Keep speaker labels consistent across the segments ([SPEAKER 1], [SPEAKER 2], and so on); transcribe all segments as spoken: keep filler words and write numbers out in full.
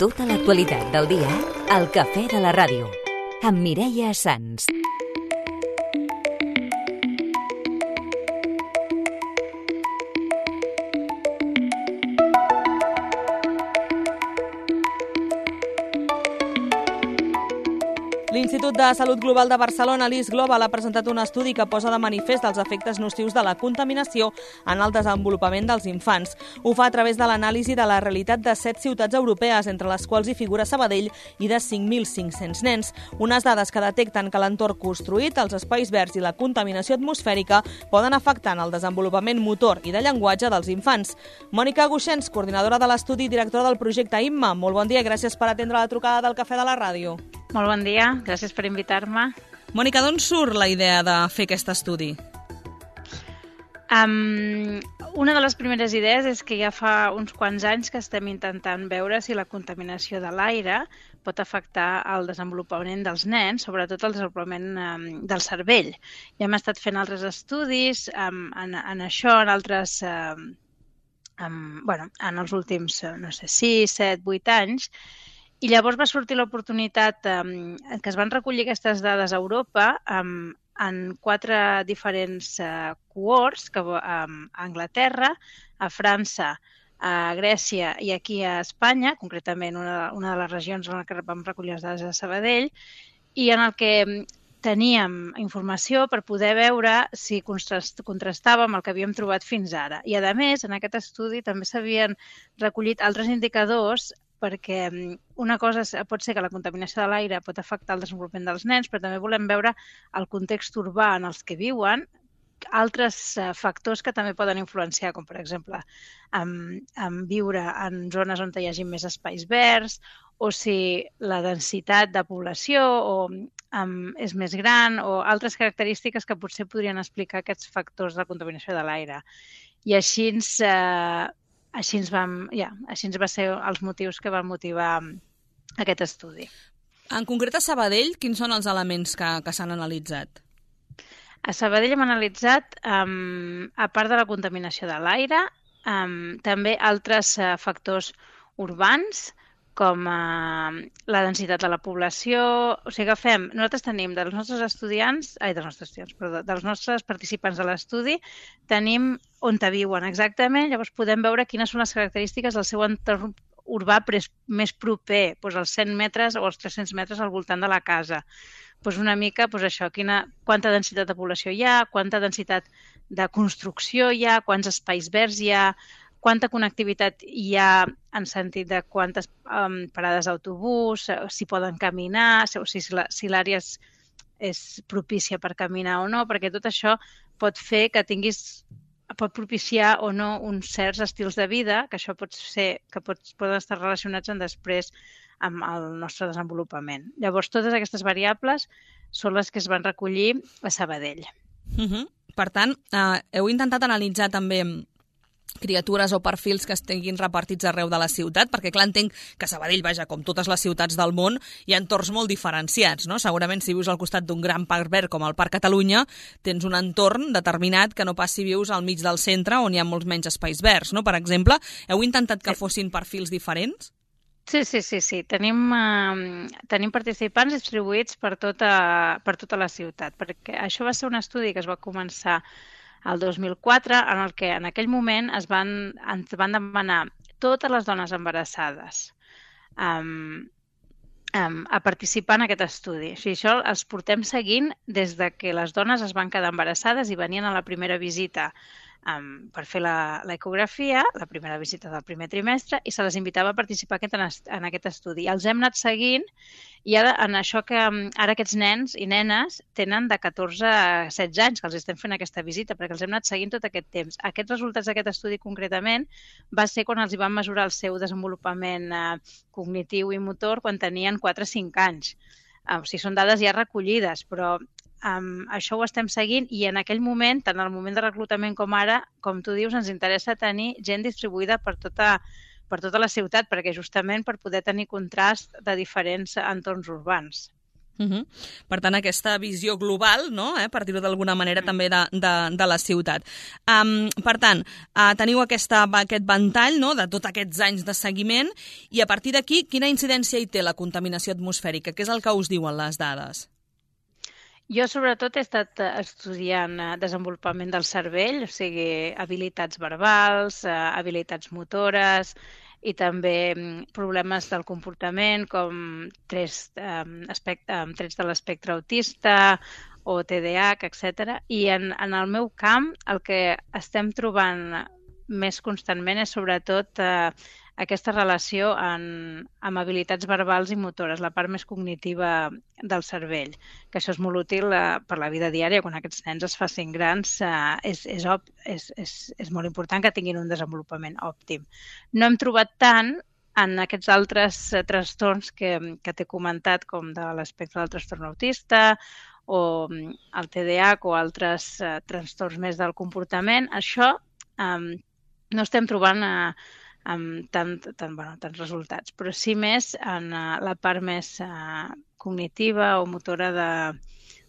[SPEAKER 1] Tota l'actualitat del dia al Cafè de la Ràdio, amb Mireia Sans.
[SPEAKER 2] L'Institut de Salut Global de Barcelona, l'I S Global, ha presentat un estudi que posa de manifest els efectes nocius de la contaminació en el desenvolupament dels infants. Ho fa a través de l'anàlisi de la realitat de set ciutats europees, entre les quals hi figura Sabadell, i de cinc mil cinc-cents nens. Unes dades que detecten que l'entorn construït, els espais verds i la contaminació atmosfèrica poden afectar en el desenvolupament motor i de llenguatge dels infants. Mònica Guixens, coordinadora de l'estudi i directora del projecte I M M A. Molt bon dia i gràcies per atendre la trucada del Cafè de la Ràdio.
[SPEAKER 3] Molt bon dia, gràcies per invitar-me.
[SPEAKER 2] Mònica, d'on surt la idea de fer aquest estudi?
[SPEAKER 3] Um, una de les primeres idees és que ja fa uns quants anys que estem intentant veure si la contaminació de l'aire pot afectar el desenvolupament dels nens, sobretot el desenvolupament um, del cervell. Ja hem estat fent altres estudis um, en, en això, en altres, um, um, bueno, en els últims, no sé, sis, set, vuit anys, i llavors va sortir l'oportunitat um, que es van recollir aquestes dades a Europa um, en quatre diferents uh, cohorts, que, um, a Anglaterra, a França, a Grècia i aquí a Espanya, concretament una, una de les regions en què vam recollir les dades de Sabadell, i en el que teníem informació per poder veure si contrastava amb el que havíem trobat fins ara. I, a més, en aquest estudi també s'havien recollit altres indicadors perquè una cosa pot ser que la contaminació de l'aire pot afectar el desenvolupament dels nens, però també volem veure el context urbà en els que viuen, altres factors que també poden influenciar, com per exemple en, en viure en zones on hi hagi més espais verds, o si la densitat de població o, um, és més gran, o altres característiques que potser podrien explicar aquests factors de contaminació de l'aire. I així ens... Eh, Així ens, vam, ja, així ens va ser els motius que van motivar aquest estudi.
[SPEAKER 2] En concret, a Sabadell, quins són els elements que, que s'han analitzat?
[SPEAKER 3] A Sabadell hem analitzat, um, a part de la contaminació de l'aire, um, també altres uh, factors urbans, com uh, la densitat de la població. O sigui, agafem, nosaltres tenim dels nostres estudiants, ai, dels nostres estudiants, perdó, dels nostres participants de l'estudi, tenim on viuen exactament, llavors podem veure quines són les característiques del seu entorn urbà més proper, doncs als cent metres o als tres-cents metres al voltant de la casa. Doncs una mica, doncs això, quina, quanta densitat de població hi ha, quanta densitat de construcció hi ha, quants espais verds hi ha, quanta connectivitat hi ha en sentit de quantes um, parades d'autobús, si poden caminar, o si, si l'àrea és, és propícia per caminar o no, perquè tot això pot fer que tinguis, pot propiciar o no uns certs estils de vida, que això pot ser, que pot, poden estar relacionats en després amb el nostre desenvolupament. Llavors, totes aquestes variables són les que es van recollir a Sabadell.
[SPEAKER 2] Uh-huh. Per tant, eh, heu intentat analitzar també criatures o perfils que estiguin repartits arreu de la ciutat, perquè clar, entenc que Sabadell, vaja, com totes les ciutats del món, hi ha entorns molt diferenciats, no? Segurament si vius al costat d'un gran parc verd com el Parc Catalunya, tens un entorn determinat que no pas si vius al mig del centre on hi ha molts menys espais verds, no? Per exemple, heu intentat que fossin perfils diferents?
[SPEAKER 3] Sí, sí, sí, sí. Tenim, uh, tenim participants distribuïts per tota, per tota la ciutat, perquè això va ser un estudi que es va començar el dos mil quatre, en el que en aquell moment es van, ens van demanar totes les dones embarassades um, um, a participar en aquest estudi. O sigui, això els portem seguint des de que les dones es van quedar embarassades i venien a la primera visita um, per fer l'ecografia, la, la primera visita del primer trimestre, i se les invitava a participar aquest, en, en aquest estudi. I els hem anat seguint i ara, en això que ara aquests nens i nenes tenen de catorze a setze anys que els estem fent aquesta visita, perquè els hem anat seguint tot aquest temps. Aquests resultats d'aquest estudi concretament va ser quan els hi van mesurar el seu desenvolupament eh, cognitiu i motor quan tenien quatre o cinc anys. Eh, o sigui, són dades ja recollides, però Um, això ho estem seguint i en aquell moment, tant en el moment de reclutament com ara, com tu dius, ens interessa tenir gent distribuïda per tota, per tota la ciutat, perquè justament per poder tenir contrast de diferents entorns urbans.
[SPEAKER 2] Uh -huh. Per tant, aquesta visió global, no? eh? per dir-ho d'alguna manera, mm. també de, de, de la ciutat. Um, per tant, uh, teniu aquesta, aquest ventall, no? de tots aquests anys de seguiment, i a partir d'aquí, quina incidència hi té la contaminació atmosfèrica? Què és el que us diuen les dades?
[SPEAKER 3] Jo, sobretot, he estat estudiant desenvolupament del cervell, o sigui, habilitats verbals, habilitats motores, i també problemes del comportament com trets, eh, aspecte, trets de l'espectre autista o T D A H, etcètera. I en, en el meu camp el que estem trobant més constantment és sobretot eh, aquesta relació en, amb habilitats verbals i motores, la part més cognitiva del cervell, que això és molt útil eh, per la vida diària. Quan aquests nens es facin grans eh, és, és, op, és, és, és molt important que tinguin un desenvolupament òptim. No hem trobat tant en aquests altres eh, trastorns que, que t'he comentat, com de l'espectre del trastorn autista o el T D A H o altres eh, trastorns més del comportament. Això eh, no estem trobant eh, amb tant, tant, bueno, tants resultats, però sí més en uh, la part més uh, cognitiva o motora de,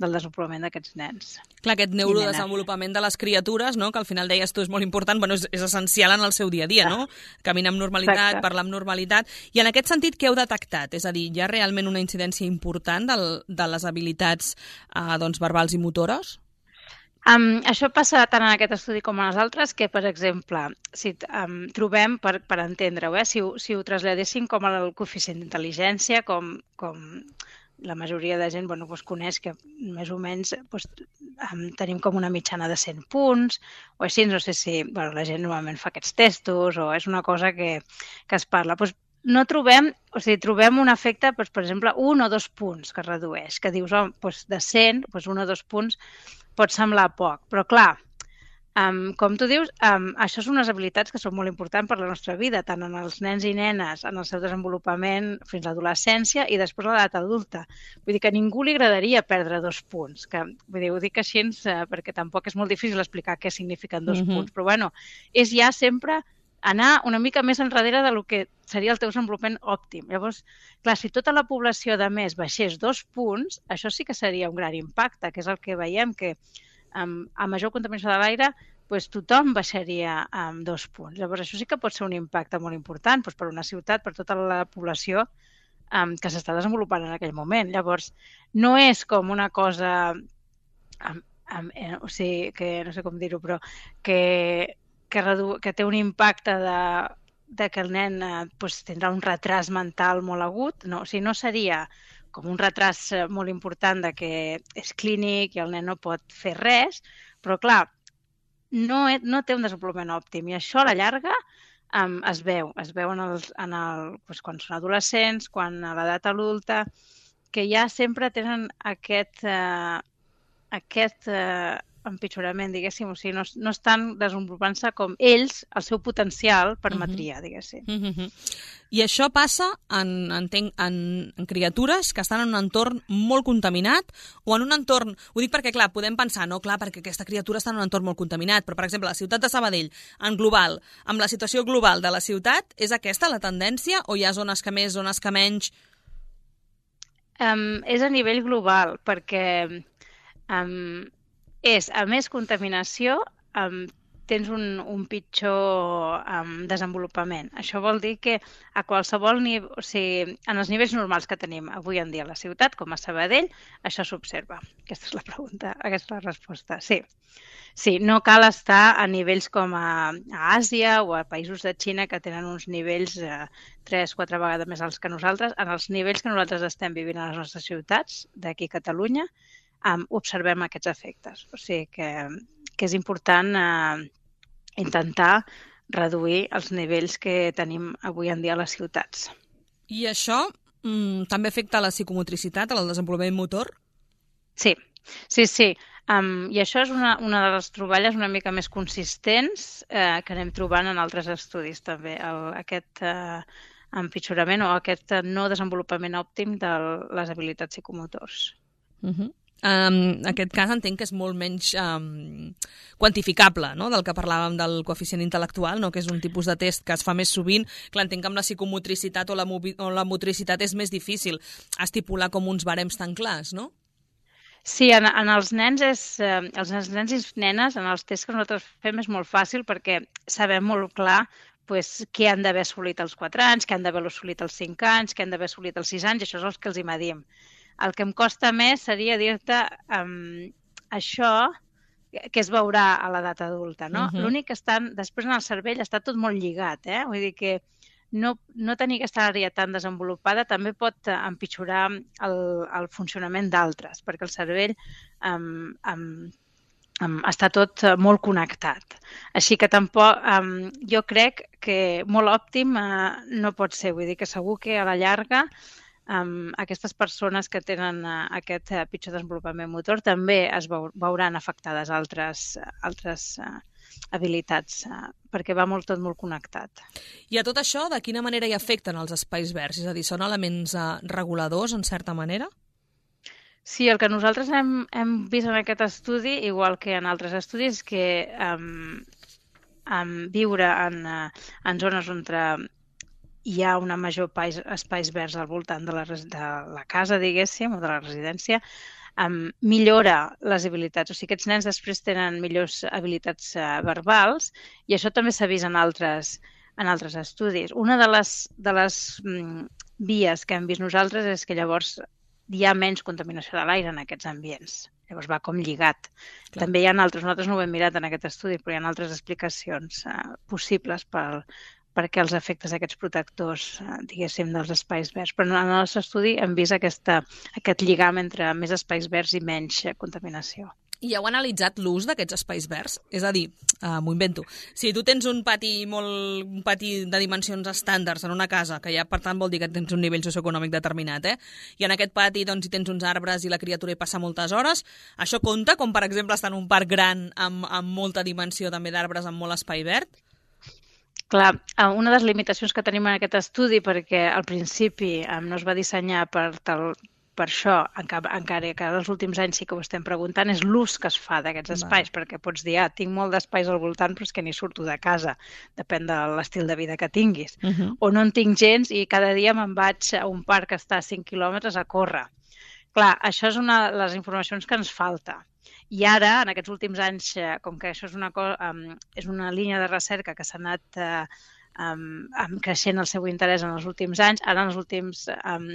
[SPEAKER 3] del desenvolupament d'aquests nens.
[SPEAKER 2] Clar, aquest neurodesenvolupament de les criatures, no? que al final deies tu és molt important, bueno, és, és essencial en el seu dia a dia, no? Caminar amb normalitat, Exacte. Parlar amb normalitat. I en aquest sentit, què heu detectat? És a dir, hi ha realment una incidència important del, de les habilitats uh, doncs, verbals i motores?
[SPEAKER 3] Um, això passa tant en aquest estudi com en els altres, que, per exemple, si um, trobem, per, per entendre-ho, eh, si, si ho traslladéssim com el coeficient d'intel·ligència, com, com la majoria de gent bueno, doncs coneix que més o menys doncs, um, tenim com una mitjana de cent punts, o així, no sé si bueno, la gent normalment fa aquests testos, o és una cosa que, que es parla. Doncs, no trobem, o sigui, trobem un efecte, doncs, per exemple, un o dos punts que redueix, que dius, oh, doncs de cent, doncs un o dos punts pot semblar poc, però clar, um, com tu dius, um, això són unes habilitats que són molt importants per la nostra vida, tant en els nens i nenes, en el seu desenvolupament fins a l'adolescència i després a l'edat adulta. Vull dir que a ningú li agradaria perdre dos punts, que, vull dir, ho dic així uh, perquè tampoc és molt difícil explicar què signifiquen dos mm-hmm. punts, però bueno, és ja sempre anar una mica més enrere del que seria el teu desenvolupament òptim. Llavors, clar, si tota la població de més baixés dos punts, això sí que seria un gran impacte, que és el que veiem, que um, a major contaminació de l'aire pues, tothom baixaria amb um, dos punts. Llavors, això sí que pot ser un impacte molt important pues, per una ciutat, per tota la població um, que s'està desenvolupant en aquell moment. Llavors, no és com una cosa, um, um, eh, o sigui, que no sé com dir-ho, però que Que, redu... que té un impacte de, de que el nen eh, pues, tindrà un retras mental molt agut. No, o sigui, no seria com un retras molt important de que és clínic i el nen no pot fer res, però clar, no, no té un desenvolupament òptim i això a la llarga um, es veu. Es veu en el, en el, pues, quan són adolescents, quan a l'edat adulta, que ja sempre tenen aquest... Eh, aquest eh, empitjorament, diguéssim, o sigui, no, no estan desenvolupant-se com ells, el seu potencial permetria, uh-huh. diguéssim.
[SPEAKER 2] Uh-huh. I això passa en, en, en, en criatures que estan en un entorn molt contaminat o en un entorn... Ho dic perquè, clar, podem pensar, no, clar, perquè aquesta criatura està en un entorn molt contaminat, però, per exemple, la ciutat de Sabadell, en global, amb la situació global de la ciutat, és aquesta la tendència o hi ha zones que més, zones que menys?
[SPEAKER 3] Um, és a nivell global, perquè... Um, és, a més contaminació, um, tens un, un pitjor um, desenvolupament. Això vol dir que a qualsevol nivell, o sigui, en els nivells normals que tenim avui en dia a la ciutat, com a Sabadell, això s'observa. Aquesta és la pregunta, aquesta és la resposta. Sí, sí, no cal estar a nivells com a, a Àsia o a països de Xina que tenen uns nivells eh, tres, quatre vegades més alts que nosaltres. En els nivells que nosaltres estem vivint a les nostres ciutats, d'aquí a Catalunya, Um, observem aquests efectes. O sigui que, que és important uh, intentar reduir els nivells que tenim avui en dia a les ciutats.
[SPEAKER 2] I això mm, també afecta la psicomotricitat, el desenvolupament motor?
[SPEAKER 3] Sí, sí, sí. Um, I això és una, una de les troballes una mica més consistents eh, que anem trobant en altres estudis també. El, aquest eh, empitjorament o aquest no desenvolupament òptim de les habilitats psicomotors.
[SPEAKER 2] Uh-huh. Um, en aquest cas entenc que és molt menys um, quantificable, no?, del que parlàvem del coeficient intel·lectual, no?, que és un tipus de test que es fa més sovint. Clar, entenc que amb la psicomotricitat o la, o la motricitat és més difícil estipular com uns barems tan clars, no?
[SPEAKER 3] Sí, en, en els nens és, eh, els nens i nenes, en els tests que nosaltres fem és molt fàcil perquè sabem molt clar pues, què han d'haver assolit als quatre anys, què han d'haver assolit als cinc anys, què han d'haver assolit als sis anys, això és el que els hi medim. El que em costa més seria dir-te um, això que es veurà a l'edat adulta, no? Uh-huh. L'únic que estan, després en el cervell està tot molt lligat, eh? Vull dir que no, no tenir aquesta àrea tan desenvolupada també pot empitjorar el, el funcionament d'altres, perquè el cervell um, um, um, està tot molt connectat. Així que tampoc, um, jo crec que molt òptim uh, no pot ser, vull dir que segur que a la llarga Um, aquestes persones que tenen uh, aquest uh, pitjor desenvolupament motor també es veu, veuran afectades altres, altres uh, habilitats, uh, perquè va molt, tot molt connectat.
[SPEAKER 2] I a tot això, de quina manera hi afecten els espais verds? És a dir, són elements uh, reguladors, en certa manera?
[SPEAKER 3] Sí, el que nosaltres hem, hem vist en aquest estudi, igual que en altres estudis, que um, um, viure en, uh, en zones on hi ha una major pais, espais verds al voltant de la, de la casa, diguéssim, o de la residència, um, millora les habilitats. O sigui, aquests nens després tenen millors habilitats uh, verbals i això també s'ha vist en altres, en altres estudis. Una de les, de les um, vies que hem vist nosaltres és que llavors hi ha menys contaminació de l'aire en aquests ambients. Llavors va com lligat. Clar. També hi ha altres, nosaltres no ho hem mirat en aquest estudi, però hi ha altres explicacions uh, possibles per perquè els efectes d'aquests protectors, diguéssim, dels espais verds. Però en el nostre estudi hem vist aquesta, aquest lligam entre més espais verds i menys contaminació.
[SPEAKER 2] I heu analitzat l'ús d'aquests espais verds? És a dir, uh, m'ho invento, si tu tens un pati, molt, un pati de dimensions estàndards en una casa, que ja per tant vol dir que tens un nivell socioeconòmic determinat, eh? I en aquest pati doncs, hi tens uns arbres i la criatura hi passa moltes hores, això compta com, per exemple, estar en un parc gran amb, amb molta dimensió també d'arbres, amb molt espai verd?
[SPEAKER 3] Clar, una de les limitacions que tenim en aquest estudi, perquè al principi no es va dissenyar per, tal, per això, encara que els últims anys sí que ho estem preguntant, és l'ús que es fa d'aquests espais, perquè pots dir, ah, tinc molt d'espais al voltant, però és que ni surto de casa, depèn de l'estil de vida que tinguis. Uh-huh. O no en tinc gens i cada dia me'n vaig a un parc que està a cinc quilòmetres a córrer. Clar, això és una de les informacions que ens falta. I ara, en aquests últims anys, com que això és una, um, és una línia de recerca que s'ha anat uh, um, creixent el seu interès en els últims anys, ara en els últims um,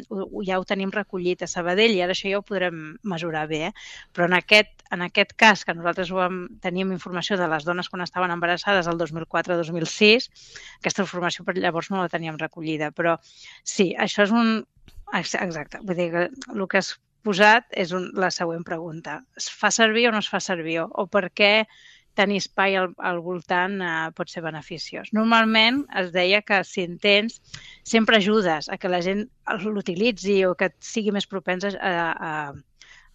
[SPEAKER 3] ja ho tenim recollit a Sabadell i ara això ja ho podrem mesurar bé. Eh? Però en aquest, en aquest cas, que nosaltres ho vam, teníem informació de les dones quan estaven embarassades el dos mil quatre dos mil sis, aquesta informació per llavors no la teníem recollida. Però sí, això és un... Exacte, vull dir que el que es posat és un, la següent pregunta. Es fa servir o no es fa servir? O per què tenir espai al, al voltant eh, pot ser beneficiós? Normalment es deia que si en tens, sempre ajudes a que la gent l'utilitzi o que sigui més propens a, a,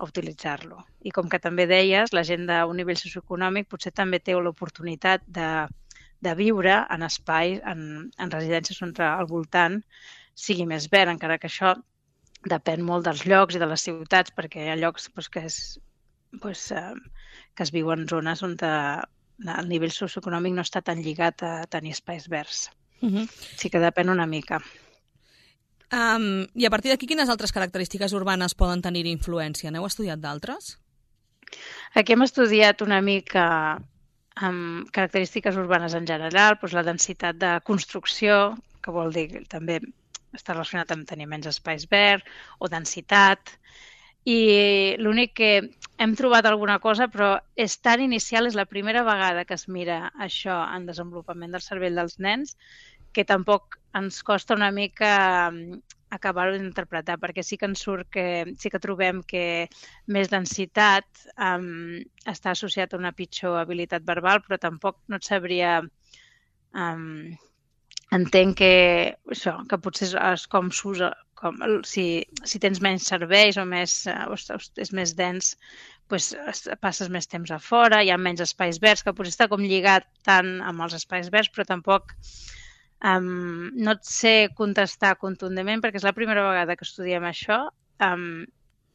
[SPEAKER 3] a utilitzar-lo. I com que també deies, la gent d'un nivell socioeconòmic potser també té l'oportunitat de, de viure en espais, en, en residències on al voltant sigui més verd, encara que això depèn molt dels llocs i de les ciutats, perquè hi ha llocs doncs, que, és, doncs, eh, que es viuen en zones on de, el nivell socioeconòmic no està tan lligat a tenir espais verds. Uh-huh. Sí que depèn una mica.
[SPEAKER 2] Um, I a partir d'aquí, quines altres característiques urbanes poden tenir influència? N'heu estudiat d'altres?
[SPEAKER 3] Aquí hem estudiat una mica amb característiques urbanes en general, doncs la densitat de construcció, que vol dir també està relacionat amb tenir menys espais verds o densitat. I l'únic que hem trobat alguna cosa, però és tan inicial, és la primera vegada que es mira això en desenvolupament del cervell dels nens, que tampoc ens costa una mica acabar-ho d'interpretar, perquè sí que ens surt que sí que trobem que més densitat um, està associat a una pitjor habilitat verbal, però tampoc no et sabria... Um, entenc que això, que potser és com s'usa, com, si, si tens menys serveis o més, és més dens, doncs passes més temps a fora, hi ha menys espais verds, que potser està com lligat tant amb els espais verds, però tampoc um, no et sé contestar contundentment, perquè és la primera vegada que estudiem això, um,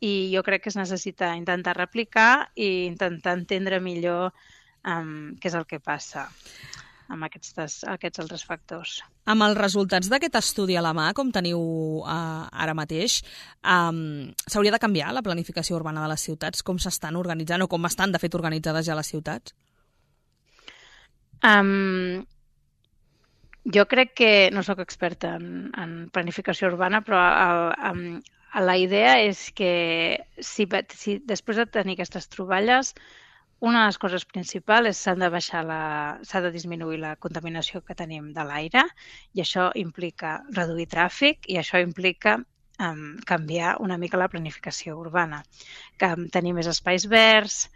[SPEAKER 3] i jo crec que es necessita intentar replicar i intentar entendre millor um, què és el que passa amb aquests, aquests altres factors.
[SPEAKER 2] Amb els resultats d'aquest estudi a la mà, com teniu uh, ara mateix, um, s'hauria de canviar la planificació urbana de les ciutats? Com s'estan organitzant o com estan, de fet, organitzades ja les ciutats?
[SPEAKER 3] Um, jo crec que, no sóc experta en, en planificació urbana, però el, um, la idea és que si, si després de tenir aquestes troballes, una de les coses principals és s'ha de baixar la, s'ha de disminuir la contaminació que tenim de l'aire i això implica reduir tràfic i això implica um, canviar una mica la planificació urbana, que tenir més espais verds,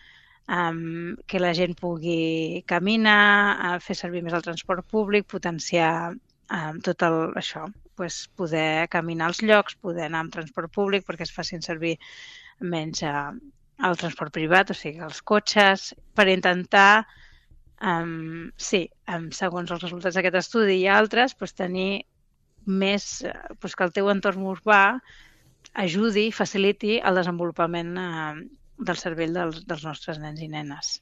[SPEAKER 3] um, que la gent pugui caminar, uh, fer servir més el transport públic, potenciar um, tot el, això, pues, poder caminar als llocs, poder anar amb transport públic perquè es facin servir menys uh, el transport privat, o sigui, els cotxes, per intentar, um, sí, um, segons els resultats d'aquest estudi i altres, pues, tenir més, pues, que el teu entorn urbà ajudi, faciliti el desenvolupament uh, del cervell dels, dels nostres nens i nenes.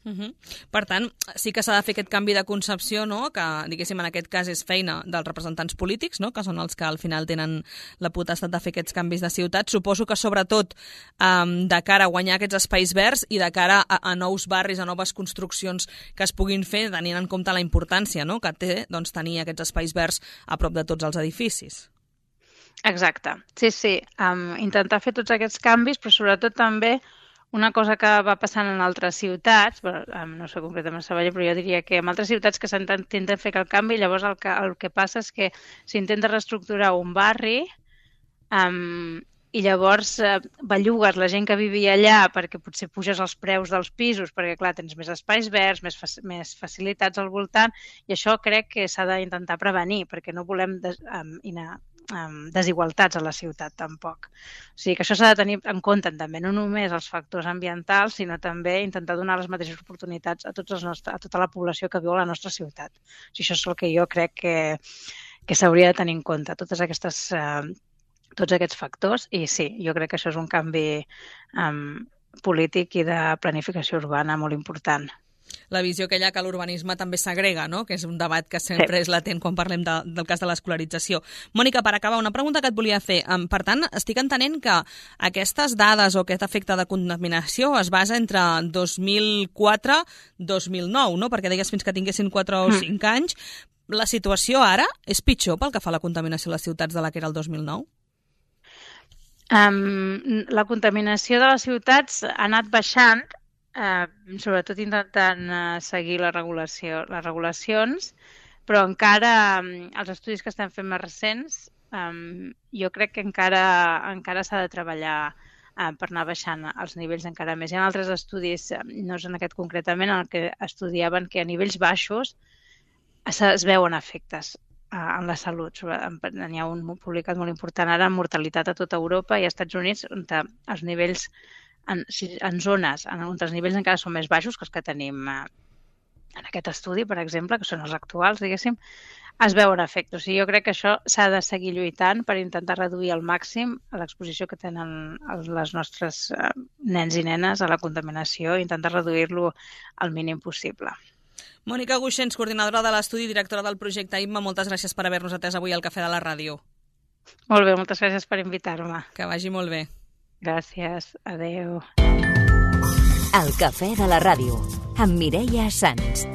[SPEAKER 2] Uh-huh. Per tant, sí que s'ha de fer aquest canvi de concepció, no? Que, diguéssim, en aquest cas és feina dels representants polítics, no? Que són els que al final tenen la potestat de fer aquests canvis de ciutat. Suposo que sobretot um, de cara a guanyar aquests espais verds i de cara a, a nous barris, a noves construccions que es puguin fer, tenint en compte la importància, no? Que té, doncs, tenir aquests espais verds a prop de tots els edificis.
[SPEAKER 3] Exacte, sí, sí. Um, intentar fer tots aquests canvis, però sobretot també una cosa que va passant en altres ciutats, bueno, no sé concretament a Sabadell, però jo diria que en altres ciutats que s'intenten fer el canvi, llavors el que, el que passa és que s'intenta reestructurar un barri um, i llavors eh, bellugues la gent que vivia allà perquè potser puges els preus dels pisos, perquè clar, tens més espais verds, més, fa més facilitats al voltant, i això crec que s'ha d'intentar prevenir, perquè no volem des um, anar desigualtats a la ciutat tampoc. O sigui que això s'ha de tenir en compte també, no només els factors ambientals, sinó també intentar donar les mateixes oportunitats a, tots els nostres, a tota la població que viu a la nostra ciutat. O sigui, això és el que jo crec que, que s'hauria de tenir en compte, totes aquestes, eh, tots aquests factors, i sí, jo crec que això és un canvi eh, polític i de planificació urbana molt important.
[SPEAKER 2] La visió aquella que l'urbanisme també s'agrega, no? Que és un debat que sempre sí. és latent quan parlem de, del cas de l'escolarització. Mònica, per acabar, una pregunta que et volia fer. Per tant, estic entenent que aquestes dades o aquest efecte de contaminació es basa entre dos mil quatre i dos mil nou, no? Perquè deies fins que tinguessin quatre o cinc mm. anys. La situació ara és pitjor pel que fa a la contaminació a les ciutats de la que era el dos mil nou?
[SPEAKER 3] Um, la contaminació de les ciutats ha anat baixant, Uh, sobretot intentant uh, seguir la regulació, les regulacions, però encara um, els estudis que estem fent més recents, um, jo crec que encara, encara s'ha de treballar uh, per anar baixant els nivells encara més. Hi ha altres estudis, no és en aquest concretament, en el que estudiaven que a nivells baixos es, es veuen efectes uh, en la salut. N'hi ha un publicat molt important ara en mortalitat a tota Europa i als Estats Units, on els nivells En, en zones en on els nivells encara són més baixos que els que tenim eh, en aquest estudi, per exemple, que són els actuals, diguéssim, es veuen efectes. O sigui, jo crec que això s'ha de seguir lluitant per intentar reduir al màxim l'exposició que tenen les nostres eh, nens i nenes a la contaminació i intentar reduir-lo al mínim possible.
[SPEAKER 2] Mònica Guixens, coordinadora de l'estudi i directora del projecte I M M A, moltes gràcies per haver-nos atès avui al Cafè de la Ràdio.
[SPEAKER 3] Molt bé, moltes gràcies per invitar-me.
[SPEAKER 2] Que vagi molt bé.
[SPEAKER 3] Gràcies, adeu.
[SPEAKER 1] El Cafè de la Ràdio, amb Mireia Sans.